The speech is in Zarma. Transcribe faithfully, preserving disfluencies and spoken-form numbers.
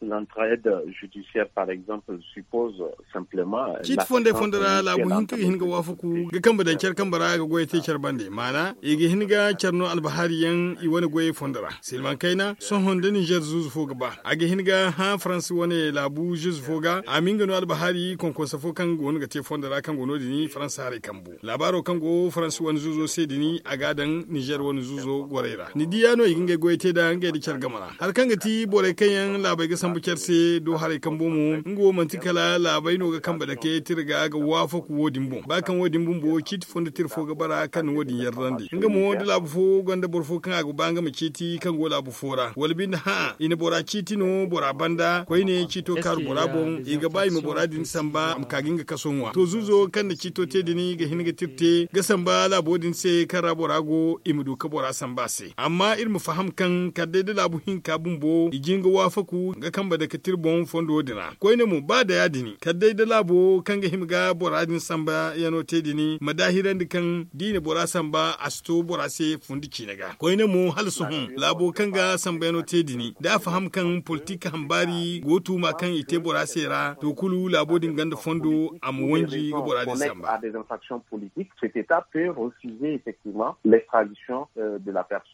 L'entraide judiciaire par exemple suppose simplement ciiti fonday fondo ra laabu hinka ga hin ga waafaku ga kambe daŋ care kambe ra ga goyey te care bande maana i ga hin ga care no albahari yaŋ i wane goyey fondo ra silmaŋ kayna sohõ da ninzeer zuuzu fo ga ba a ga hin ga hã faransi wane laabu zuuzu fo ga a ma nga no albahari konkonsa fo kaŋ go no ga te fondo ra kaŋ go no- din faransa haray kambu laabaaro kaŋ go faransi wane zuuzo se din a ga a daŋ ninzeer wane zuuzo gorey ra ni di ya no i ga ngey goyey te nd'a ngey nda care game ra hari kaŋ ga ti borey kaŋ yaŋ laabey ga sambu care se do haray kambo mo nga wo manti kala laabey no ga kambe dake tira ga ga waafaku wo- din boŋ ba kaŋ wo- din bumbo ciiti fondo tira fo ga bara kaŋ na wo- din yardandi nga mo da laabu fo gonda boro fo kaŋ a ga ba nga ma ciiti kaŋ go laabu fo ra wala binde hã'a i na bora ciiti no bora banda koyne ciito kaaru bora boŋ i ga ba i ma bora din samba a ma ka ga nga kaso ŋwa to zuuzo kaŋ na ciito te din ga hin ga tira te ga samba laabo din se kaŋ ra bora go i ma du ga bora samba a se amma iri ma faham kaŋ kala day da laabu hinka bumbo i jin ga waafaku ga kambe dake tira boŋ fondo din ra koyne mo ba da ya- din kala day da laabo kaŋ ga hima ga bora din samba yaŋo te din ma daahirandi kaŋ da i na bora samba a si to bora se fundi ciine ga koyne mo hala sohõ laabo kaŋ ga samba yaŋo te din da a faham kaŋ politik hambaari go tuuma kaŋ i te bora se ra to kulu laabo din gonda fondo a ma wanji ga bora din samba. Politique, cet état peut refuser effectivement l'extradition de la personne.